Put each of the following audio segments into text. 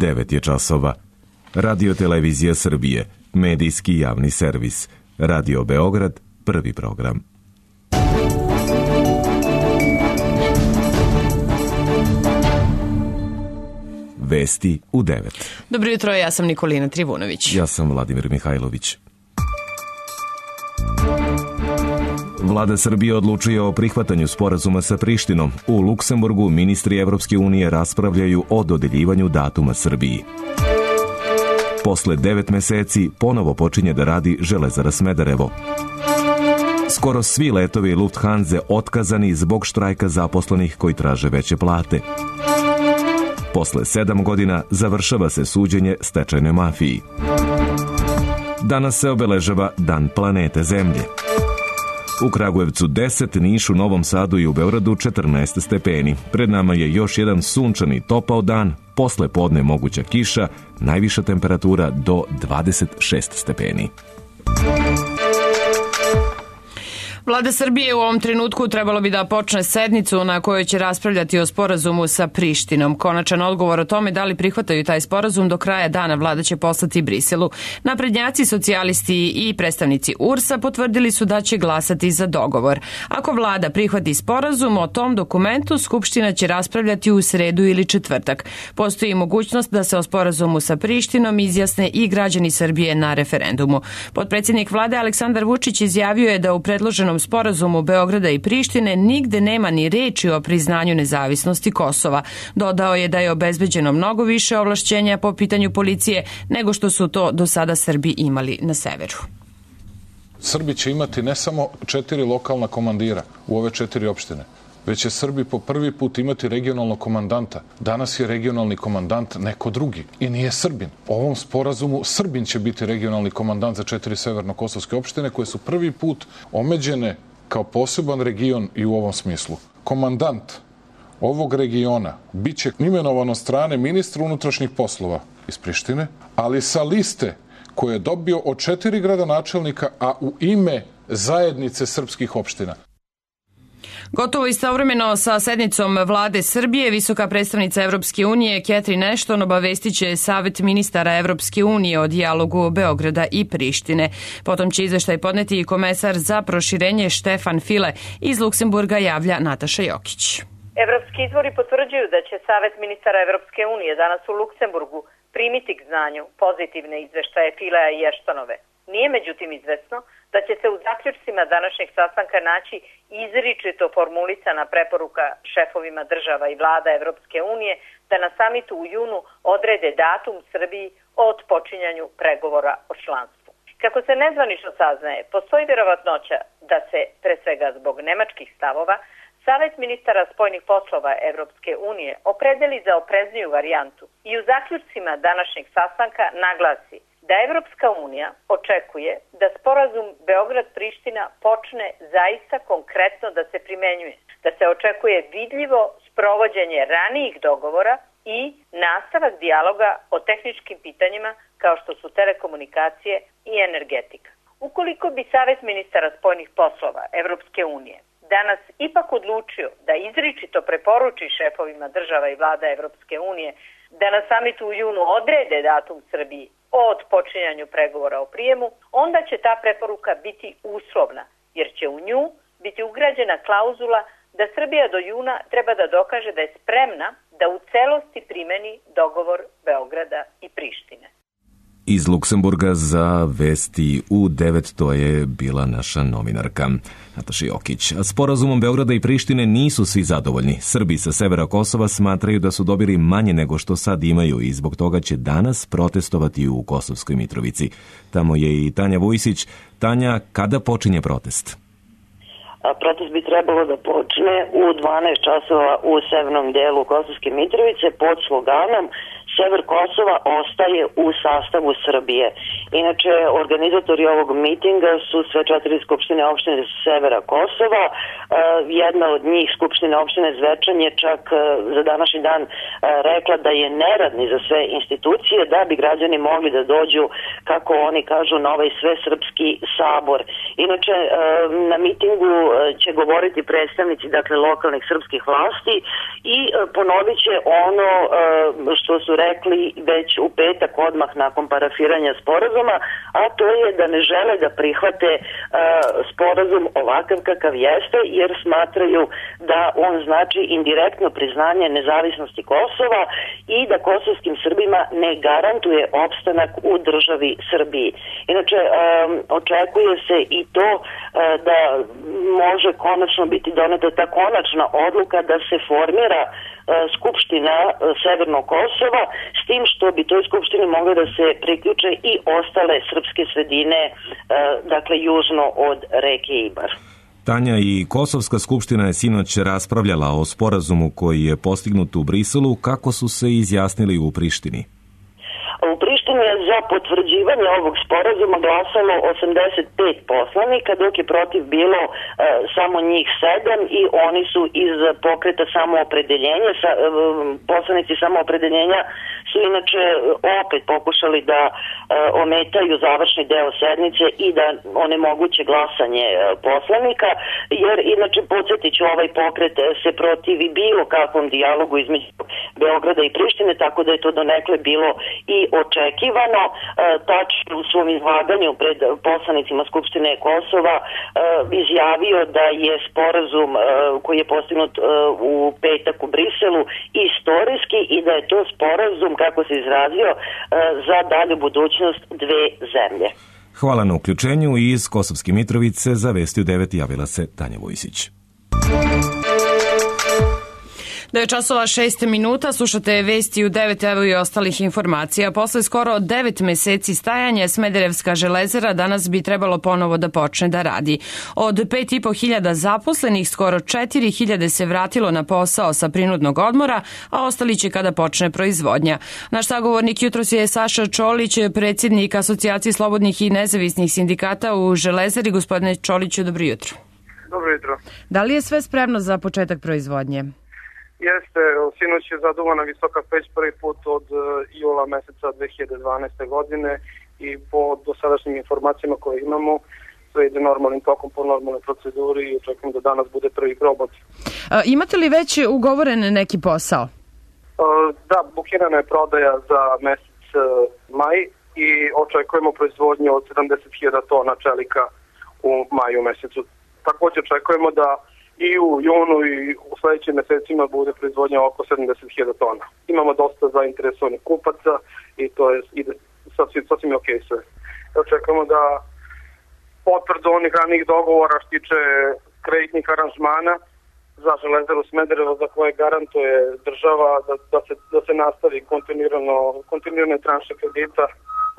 9 je časova. Radio Televizija Srbije, medijski javni servis. Radio Beograd, prvi program. Vesti u 9. Dobro jutro, ja sam Nikolina Trivunović. Ja sam Vladimir Mihajlović. Vlada Srbije odlučuje o prihvatanju sporazuma sa Prištinom. U Luksemburgu ministri Evropske unije raspravljaju o dodeljivanju datuma Srbiji. Posle 9 meseci ponovo počinje da radi Železara Smederevo. Skoro svi letovi Lufthanse otkazani zbog štrajka zaposlenih koji traže veće plate. Posle 7 godina završava se suđenje stečajnoj mafiji. Danas se obeležava Dan planete Zemlje. U Kragujevcu 10, Nišu, Novom Sadu i u Beogradu 14 stepeni. Pred nama je još jedan sunčani topao dan, posle podne moguća kiša, najviša temperatura do 26 stepeni. Vlada Srbije u ovom trenutku trebalo bi da počne sednicu na kojoj će raspravljati o sporazumu sa Prištinom. Konačan odgovor o tome da li prihvataju taj sporazum do kraja dana vlada će poslati Briselu. Naprednjaci, socijalisti i predstavnici URS-a potvrdili su da će glasati za dogovor. Ako vlada prihvati sporazum, o tom dokumentu Skupština će raspravljati u sredu ili četvrtak. Postoji mogućnost da se o sporazumu sa Prištinom izjasne i građani Srbije na referendumu. Potpredsjednik vlade Aleksandar Vučić izjavio je da u predloženom sporazumu Beograda i Prištine nigde nema ni reči o priznanju nezavisnosti Kosova. Dodao je da je obezbeđeno mnogo više ovlašćenja po pitanju policije nego što su to do sada Srbi imali na severu. Srbi će imati ne samo 4 lokalna komandira u ove 4 opštine, već će Srbi po prvi put imati regionalnog komandanta. Danas je regionalni komandant neko drugi i nije Srbin. U ovom sporazumu Srbin će biti regionalni komandant za 4 severno-kosovske opštine koje su prvi put omeđene kao poseban region i u ovom smislu. Komandant ovog regiona bit će imenovan od strane ministra unutrašnjih poslova iz Prištine, ali sa liste koje je dobio od 4 gradonačelnika, a u ime zajednice srpskih opština. Gotovo istovremeno sa sednicom vlade Srbije, visoka predstavnica Evropske unije Catherine Ashton obavestiće Savet ministara Evropske unije o dijalogu Beograda i Prištine. Potom će izveštaj podneti i komesar za proširenje Štefan File. Iz Luksemburga javlja Nataša Jokić. Evropski izvori potvrđuju da će Savet ministara Evropske unije danas u Luksemburgu primiti k znanju pozitivne izveštaje Filea i Ashtonove. Nije međutim izvesno da će se u zaključcima današnjeg sastanka naći izričito formulisana preporuka šefovima država i vlada Evropske unije da na samitu u junu odrede datum Srbiji o otpočinjanju pregovora o članstvu. Kako se nezvanično saznaje, postoji vjerovatnoća da se, pre svega zbog nemačkih stavova, Savet ministara spoljnih poslova Evropske unije opredeli za oprezniju varijantu i u zaključcima današnjeg sastanka naglasi da Evropska unija očekuje da sporazum Beograd-Priština počne zaista konkretno da se primenjuje, da se očekuje vidljivo sprovođenje ranijih dogovora i nastavak dijaloga o tehničkim pitanjima kao što su telekomunikacije i energetika. Ukoliko bi Savet ministara spoljnih poslova Evropske unije danas ipak odlučio da izričito preporuči šefovima država i vlada Evropske unije da na samitu u junu odrede datum Srbiji o otpočinjanju pregovora o prijemu, onda će ta preporuka biti uslovna, jer će u nju biti ugrađena klauzula da Srbija do juna treba da dokaže da je spremna da u celosti primeni dogovor Beograda i Prištine. Iz Luksemburga za Vesti u 9 to je bila naša novinarka Nataša Jokić. Sporazumom Beograda i Prištine nisu svi zadovoljni. Srbi sa severa Kosova smatraju da su dobili manje nego što sad imaju i zbog toga će danas protestovati u Kosovskoj Mitrovici. Tamo je i Tanja Vujsić. Tanja, kada počinje protest? Protest bi trebalo da počne u 12 časova u severnom delu Kosovske Mitrovice pod sloganom Sever Kosova ostaje u sastavu Srbije. Inače, organizatori ovog mitinga su sve 4 skupštine opštine severa Kosova. Jedna od njih, skupština opštine Zvečan, je čak za današnji dan rekla da je neradni za sve institucije da bi građani mogli da dođu, kako oni kažu, na ovaj svesrpski sabor. Inače, na mitingu će govoriti predstavnici, dakle, lokalnih srpskih vlasti i ponovit će ono što su rekli već u petak odmah nakon parafiranja sporazuma, a to je da ne žele da prihvate sporazum ovakav kakav jeste, jer smatraju da on znači indirektno priznanje nezavisnosti Kosova i da kosovskim Srbima ne garantuje opstanak u državi Srbiji. Inače, očekuje se i to da može konačno biti doneta ta konačna odluka da se formira Skupština Severnog Kosova, s tim što bi toj skupštini mogle da se priključe i ostale srpske sredine, dakle južno od reke Ibar. Tanja, i Kosovska skupština je sinoć raspravljala o sporazumu koji je postignut u Briselu. Kako su se izjasnili u Prištini? U Prištini je za potvrđivanje ovog sporazuma glasalo 85 poslanika, dok je protiv bilo samo njih 7 i oni su iz pokreta samoopredeljenja. Poslanici samoopredeljenja su inače opet pokušali da ometaju završni deo sednice i da onemoguće glasanje poslanika, jer inače podsjetiću, ovaj pokret se protivi bilo kakvom dijalogu između Beograda i Prištine, tako da je to donekle bilo i očekivano. Tačno u svom izlaganju pred poslanicima Skupštine Kosova izjavio da je sporazum koji je postignut u petak u Briselu istorijski i da je to sporazum, kako se izrazio, za dalju budućnost dve zemlje. Hvala na uključenju. Iz Kosovske Mitrovice za Vesti u 9 javila se Tanja Vojsić. 9 časova 6 minuta, slušate Vesti u 9, evo i ostalih informacija. Posle skoro 9 meseci stajanja, Smederevska železara danas bi trebalo ponovo da počne da radi. Od 5.500 zaposlenih, skoro 4.000 se vratilo na posao sa prinudnog odmora, a ostali će kada počne proizvodnja. Naš sagovornik jutros je Saša Čolić, predsjednik Asocijacije slobodnih i nezavisnih sindikata u železari. Gospodine Čoliću, dobro jutro. Dobro jutro. Da li je sve spremno za početak proizvodnje? Jeste, sinoć je zaduvana visoka peć prvi put od jula meseca 2012. godine i po dosadašnjim informacijama koje imamo sve ide normalnim tokom po normalnoj proceduri i očekujem da danas bude prvi probot. Imate li već ugovoren neki posao? Da, bukirana je prodaja za mesec maj i očekujemo proizvodnju od 70.000 tona čelika u maju mesecu. Također očekujemo da i u junu i u sledećim mesecima bude proizvodnja oko 70.000 tona. Imamo dosta zainteresovanih kupaca i to je sasvim ok sve. Očekujemo da potvrdu onih ranih dogovora što tiče kreditnih aranžmana za Železaru Smederevo, za koje garantuje država da se nastavi kontinuirane tranše kredita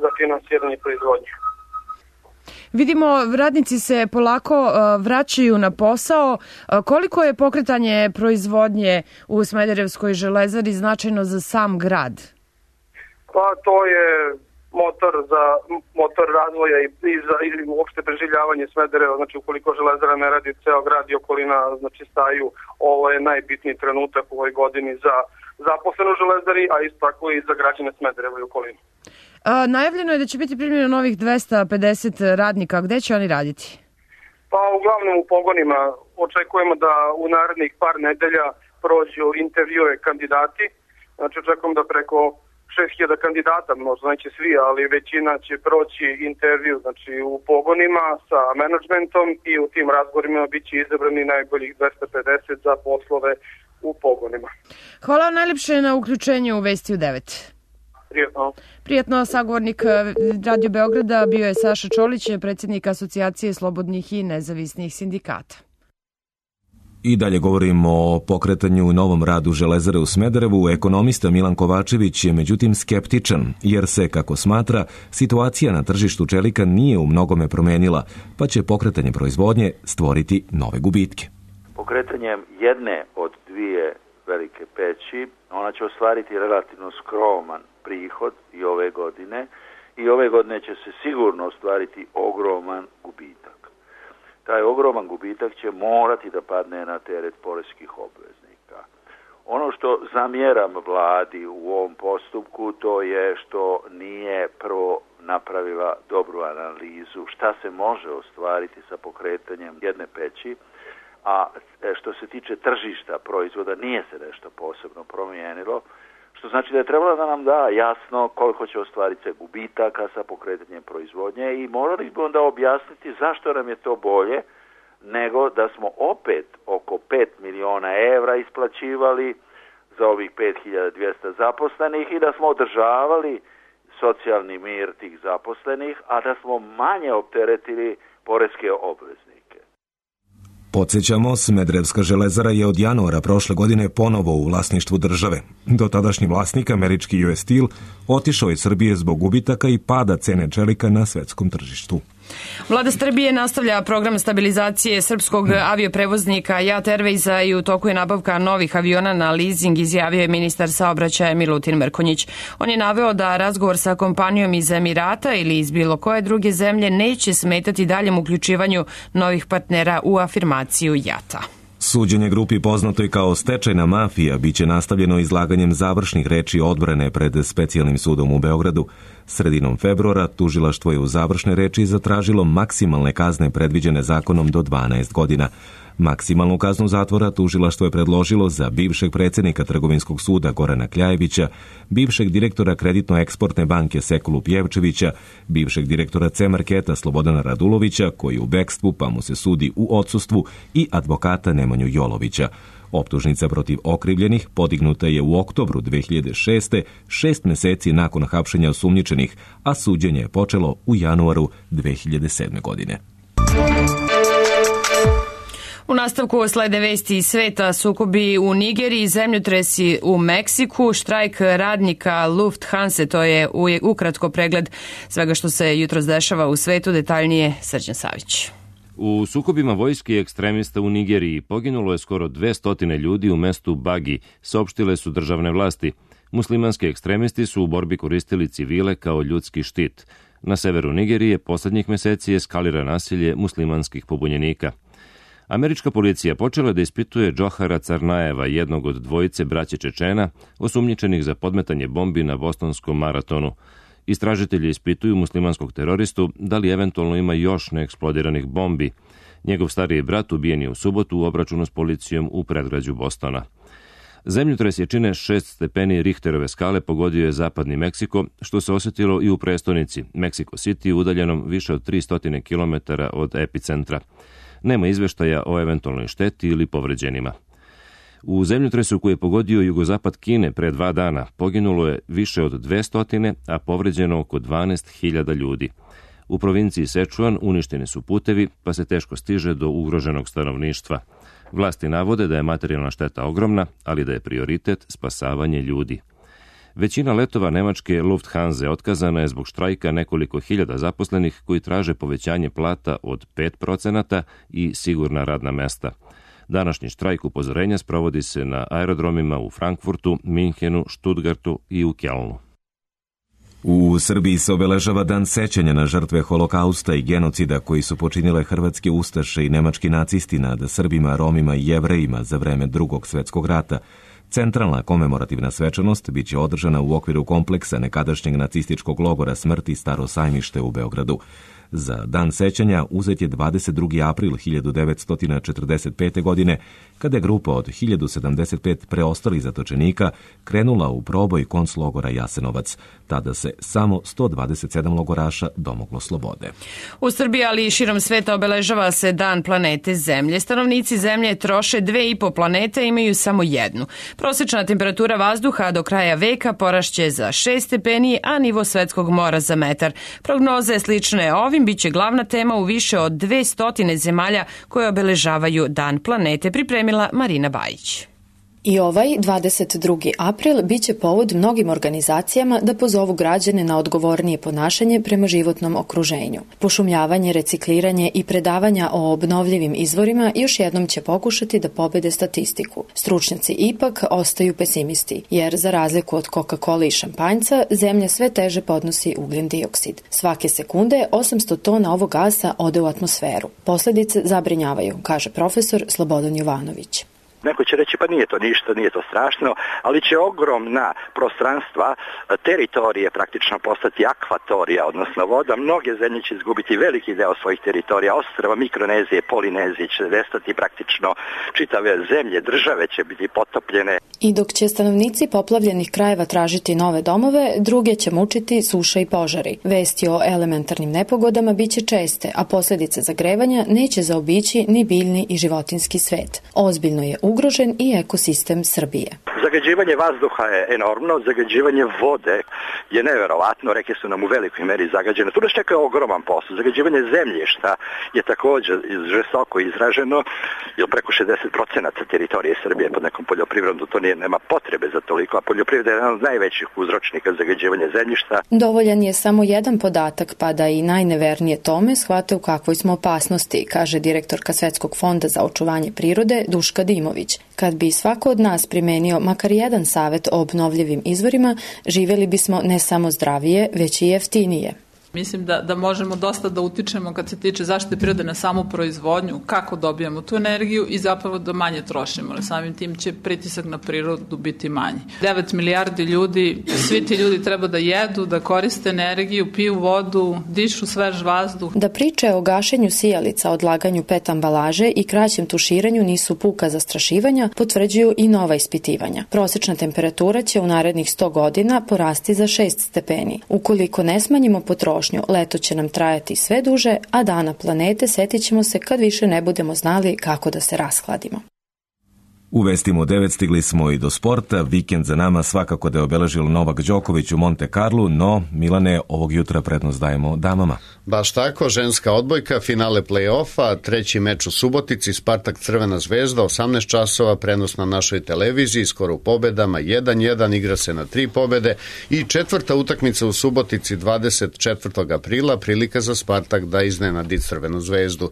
za finansiranje proizvodnje. Vidimo, radnici se polako vraćaju na posao. Koliko je pokretanje proizvodnje u Smederevskoj železari značajno za sam grad? Pa to je motor razvoja i uopšte preživljavanje Smedereva. Znači, ukoliko železara ne radi, ceo grad i okolina staju. Ovo je najbitniji trenutak u ovoj godini za zaposlene u železari, a isto tako i za građane Smedereva i okolinu. Najavljeno je da će biti primljeno novih 250 radnika. Gde će oni raditi? Pa uglavnom u pogonima. Očekujemo da u narednih par nedelja prođu intervjue kandidati. Znači, očekujemo da preko 6.000 kandidata, možda neće svi, ali većina će proći intervju u pogonima sa menadžmentom i u tim razgovorima biće izabrani najboljih 250 za poslove u pogonima. Hvala vam najljepše na uključenju u Vesti u 9. Prijetno, sagovornik Radio Beograda bio je Saša Čolić, predsjednik Asocijacije slobodnih i nezavisnih sindikata. I dalje govorimo o pokretanju i novom radu železare u Smederevu. Ekonomista Milan Kovačević je međutim skeptičan, jer se, kako smatra, situacija na tržištu čelika nije u mnogome promenila, pa će pokretanje proizvodnje stvoriti nove gubitke. Pokretanjem jedne od dvije velike peći, ona će ostvariti relativno skroman prihod i ove godine će se sigurno ostvariti ogroman gubitak. Taj ogroman gubitak će morati da padne na teret poreskih obveznika. Ono što zamjeram vladi u ovom postupku, to je što nije prvo napravila dobru analizu šta se može ostvariti sa pokretanjem jedne peći, a što se tiče tržišta proizvoda nije se nešto posebno promijenilo. Što što znači da je trebalo da nam da jasno koliko će ostvariti se gubitaka sa pokretanjem proizvodnje i morali bi onda objasniti zašto nam je to bolje nego da smo opet oko 5 miliona evra isplaćivali za ovih 5200 zaposlenih i da smo održavali socijalni mir tih zaposlenih, a da smo manje opteretili poreske obveznike. Podsjećamo, Smederevska železara je od januara prošle godine ponovo u vlasništvu države. Dotadašnji vlasnik, američki US Steel, otišao iz Srbije zbog gubitaka i pada cene čelika na svetskom tržištu. Vlada Srbije nastavlja program stabilizacije srpskog avioprevoznika JAT Airwaysa i u toku je nabavka novih aviona na leasing, izjavio je ministar saobraćaja Milutin Mrkonjić. On je naveo da razgovor sa kompanijom iz Emirata ili iz bilo koje druge zemlje neće smetati daljem uključivanju novih partnera u afirmaciju JAT-a. Suđenje grupi poznatoj kao stečajna mafija biće nastavljeno izlaganjem završnih reči odbrane pred Specijalnim sudom u Beogradu. Sredinom februara tužilaštvo je u završne reči zatražilo maksimalne kazne predviđene zakonom do 12 godina. Maksimalnu kaznu zatvora tužilaštvo je predložilo za bivšeg predsjednika Trgovinskog suda Gorana Kljajevića, bivšeg direktora Kreditno-eksportne banke Sekulu Pjevčevića, bivšeg direktora C-marketa Slobodana Radulovića, koji u bekstvu pa mu se sudi u odsustvu, i advokata Nemanju Jolovića. Optužnica protiv okrivljenih podignuta je u oktobru 2006. 6 meseci nakon hapšenja osumnjičenih, a suđenje je počelo u januaru 2007. godine. U nastavku slede vesti iz sveta, sukobi u Nigeriji, zemljotresi u Meksiku, štrajk radnika Lufthansa, to je ukratko pregled svega što se jutros dešava u svetu, detaljnije Srđan Savić. U sukobima vojske i ekstremista u Nigeriji poginulo je skoro 200 ljudi u mestu Bagi, saopštile su državne vlasti. Muslimanski ekstremisti su u borbi koristili civile kao ljudski štit. Na severu Nigerije poslednjih meseci eskalira nasilje muslimanskih pobunjenika. Američka policija počela da ispituje Džohara Carnajeva, jednog od dvojice braće Čečena, osumnjičenih za podmetanje bombi na bostonskom maratonu. Istražitelji ispituju muslimanskog teroristu da li eventualno ima još neeksplodiranih bombi. Njegov stariji brat ubijen je u subotu u obračunu s policijom u predgrađu Bostona. Zemljotres jačine 6 stepeni Richterove skale pogodio je zapadni Meksiko, što se osjetilo i u prestonici, Mexico City, udaljenom više od 300 km od epicentra. Nema izveštaja o eventualnoj šteti ili povređenima. U zemljotresu koji je pogodio jugozapad Kine pre 2 dana poginulo je više od 200, a povređeno oko 12.000 ljudi. U provinciji Sečuan uništeni su putevi, pa se teško stiže do ugroženog stanovništva. Vlasti navode da je materijalna šteta ogromna, ali da je prioritet spasavanje ljudi. Većina letova nemačke Lufthansa otkazana je zbog štrajka nekoliko hiljada zaposlenih koji traže povećanje plata od 5% i sigurna radna mesta. Današnji štrajk upozorenja sprovodi se na aerodromima u Frankfurtu, Minhenu, Stuttgartu i u Kelnu. U Srbiji se obeležava dan sećanja na žrtve holokausta i genocida koji su počinile hrvatske ustaše i nemački nacisti nad Srbima, Romima i Jevrejima za vreme Drugog svjetskog rata. Centralna komemorativna svečanost biće održana u okviru kompleksa nekadašnjeg nacističkog logora smrti Staro Sajmište u Beogradu. Za dan sećanja uzet je 22. april 1945. godine, kada je grupa od 1075 preostalih zatočenika krenula u proboj konclogora Jasenovac. Tada se samo 127 logoraša domoglo slobode. U Srbiji, ali i širom sveta, obeležava se Dan planete Zemlje. Stanovnici Zemlje troše 2,5 planete, imaju samo jednu. Prosječna temperatura vazduha do kraja veka porašće za 6 stepeni, a nivo svetskog mora za metar. Prognoze slične ovim biće glavna tema u više od 200 zemalja koje obeležavaju Dan planete, pripremila Marina Bajić. I ovaj 22. april biće povod mnogim organizacijama da pozovu građane na odgovornije ponašanje prema životnom okruženju. Pošumljavanje, recikliranje i predavanja o obnovljivim izvorima još jednom će pokušati da pobede statistiku. Stručnjaci ipak ostaju pesimisti, jer za razliku od Coca-Cola i šampanjca, Zemlja sve teže podnosi ugljen dioksid. Svake sekunde 800 tona ovog gasa ode u atmosferu. Posledice zabrinjavaju, kaže profesor Slobodan Jovanović. Neko će reći pa nije to ništa, nije to strašno, ali će ogromna prostranstva, teritorije praktično postati akvatorija, odnosno voda. Mnoge zemlje će izgubiti veliki deo svojih teritorija, ostrva Mikronezije, Polinezije će nestati praktično, čitave zemlje, države će biti potopljene. I dok će stanovnici poplavljenih krajeva tražiti nove domove, druge će mučiti suša i požari. Vesti o elementarnim nepogodama biće česte, a posljedice zagrevanja neće zaobići ni biljni i životinski svet. Ozbiljno je ugrožen i ekosistem Srbije. Zagađivanje vazduha je enormno, zagađivanje vode je neverovatno, reke su nam u velikoj meri zagađene. Tu nas čeka ogroman posao. Zagađivanje zemljišta je također žestoko izraženo, jer preko 60% teritorije Srbije pod nekom poljoprivredom, to nema potrebe za toliko, a poljoprivreda je jedan od najvećih uzročnika zagađivanja zemljišta. Dovoljan je samo jedan podatak, pa da i najnevernije tome shvate u kakvoj smo opasnosti, kaže direktorka Svetskog fonda za očuvanje prirode Duška Dimović. Kad bi svako od nas primenio makar jedan savet o obnovljivim izvorima, živjeli bismo ne samo zdravije, već i jeftinije. Mislim da možemo dosta da utičemo kad se tiče zaštite prirode na samu proizvodnju, kako dobijamo tu energiju i zapravo da manje trošimo. Samim tim će pritisak na prirodu biti manji. 9 milijardi ljudi, svi ti ljudi treba da jedu, da koriste energiju, piju vodu, dišu svež vazduh. Da priče o gašenju sijalica, odlaganju PET ambalaže i kraćem tuširanju nisu puka zastrašivanja, potvrđuju i nova ispitivanja. Prosečna temperatura će u narednih 100 godina porasti za 6 stepeni. Ukoliko ne smanjimo potrošnju, leto će nam trajati sve duže, a dana planete setit ćemo se kad više ne budemo znali kako da se rashladimo. U vestima u 9 stigli smo i do sporta. Vikend za nama svakako da je obeležilo Novak Đoković u Monte Carlu, no Milane, ovog jutra prednost dajemo damama. Baš tako, ženska odbojka, finale play-offa, treći meč u Subotici, Spartak Crvena zvezda, 18 časova, prenos na našoj televiziji, skoro u pobedama, 1-1, igra se na 3 pobede i četvrta utakmica u Subotici 24. aprila, prilika za Spartak da iznenadi Crvenu zvezdu.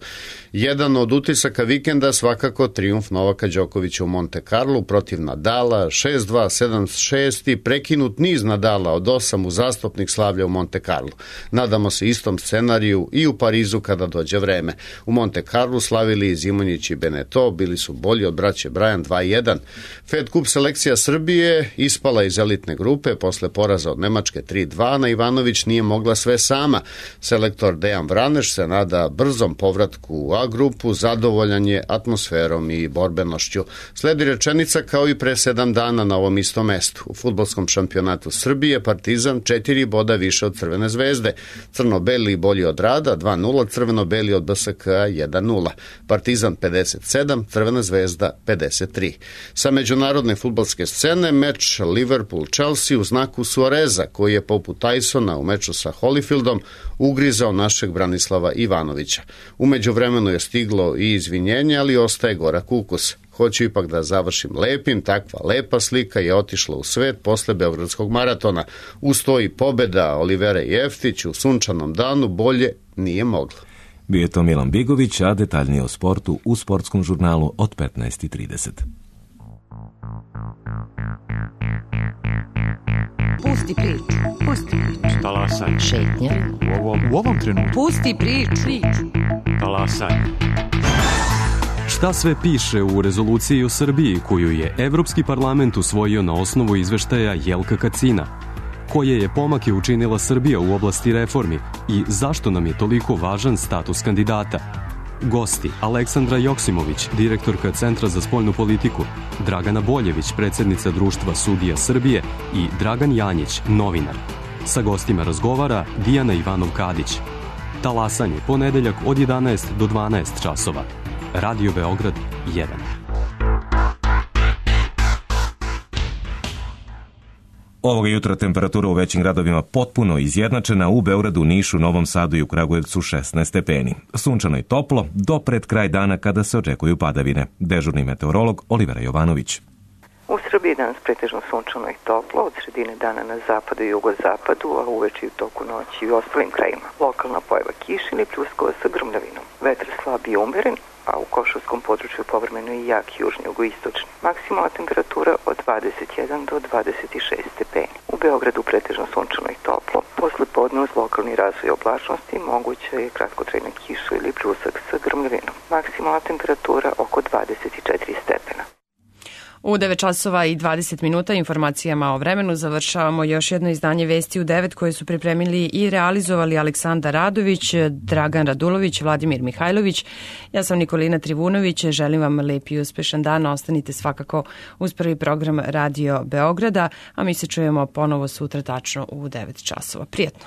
Jedan od utisaka vikenda svakako trijumf Novaka Đokovića u Monte Carlo protiv Nadala, 6-2, 7-6 i prekinut niz Nadala od 8 uzastopnih slavlja u Monte Carlo. Nadamo se istom scenariju i u Parizu kada dođe vreme. U Monte Carlo slavili i Zimonjić i Beneto, bili su bolji od braće Brajan 2-1. Fed Cup selekcija Srbije ispala iz elitne grupe posle poraza od Nemačke 3-2, na Ivanović nije mogla sve sama. Selektor Dejan Vraneš se nada brzom povratku u A grupu, zadovoljan je atmosferom i borbenošću. Sledi rečenica kao i pre 7 dana na ovom istom mestu. U fudbalskom šampionatu Srbije Partizan 4 boda više od Crvene zvezde. Crno-beli bolji od Rada 2-0, crveno-beli od BSK 1-0. Partizan 57, Crvena zvezda 53. Sa međunarodne fudbalske scene meč Liverpool-Chelsea u znaku Suareza, koji je poput Tysona u meču sa Holyfieldom ugrizao našeg Branislava Ivanovića. U međuvremenu je stiglo i izvinjenje, ali ostaje gorak ukus. Hoću ipak da završim lepim, takva lepa slika je otišla u svet posle Beogradskog maratona. Uz to i pobeda Olivera Jeftić u sunčanom danu bolje nije moglo. Bio je to Milan Bigović, a detaljnije o sportu u sportskom žurnalu od 15:30. Pusti priču, pusti priču. Talasaj. Šetnja. U ovom trenutku. Pusti priču. Talasaj. Šta sve piše u rezoluciji o Srbiji koju je Evropski parlament usvojio na osnovu izveštaja Jelka Kacina? Koje je pomake učinila Srbija u oblasti reformi i zašto nam je toliko važan status kandidata? Gosti: Aleksandra Joksimović, direktorka Centra za spoljnu politiku, Dragana Boljević, predsjednica Društva sudija Srbije i Dragan Janjić, novinar. Sa gostima razgovara Dijana Ivanov-Kadić. Talasanje, ponedeljak od 11 do 12 časova. Radio Beograd 1. Ovoga jutra temperatura u većim gradovima potpuno izjednačena, u Beogradu, Nišu, Novom Sadu i u Kragujevcu 16 stepeni. Sunčano i toplo do pred kraj dana kada se očekuju padavine. Dežurni meteorolog Olivera Jovanović. U Srbiji danas pretežno sunčano i toplo, od sredine dana na zapadu i jugozapadu, a uveče i u toku noći i u ostalim krajima. Lokalna pojava kiše ili pljuskova sa grmljavinom. Vetar slab i umeren, a u Košavskom području povremeno i jak južni jugoistočni. Maksimalna temperatura od 21 do 26 stepeni. U Beogradu pretežno sunčano i toplo. Posle podne uz lokalni razvoj oblačnosti moguća je kratkotrajna kiša ili pljusak sa grmljavinom. Maksimalna temperatura oko 24 stepena. U 9 časova i 20 minuta informacijama o vremenu završavamo još jedno izdanje Vesti u 9 koje su pripremili i realizovali Aleksandar Radović, Dragan Radulović, Vladimir Mihajlović. Ja sam Nikolina Trivunović, želim vam lep i uspešan dan. Ostanite svakako uz prvi program Radio Beograda, a mi se čujemo ponovo sutra tačno u 9 časova. Prijetno!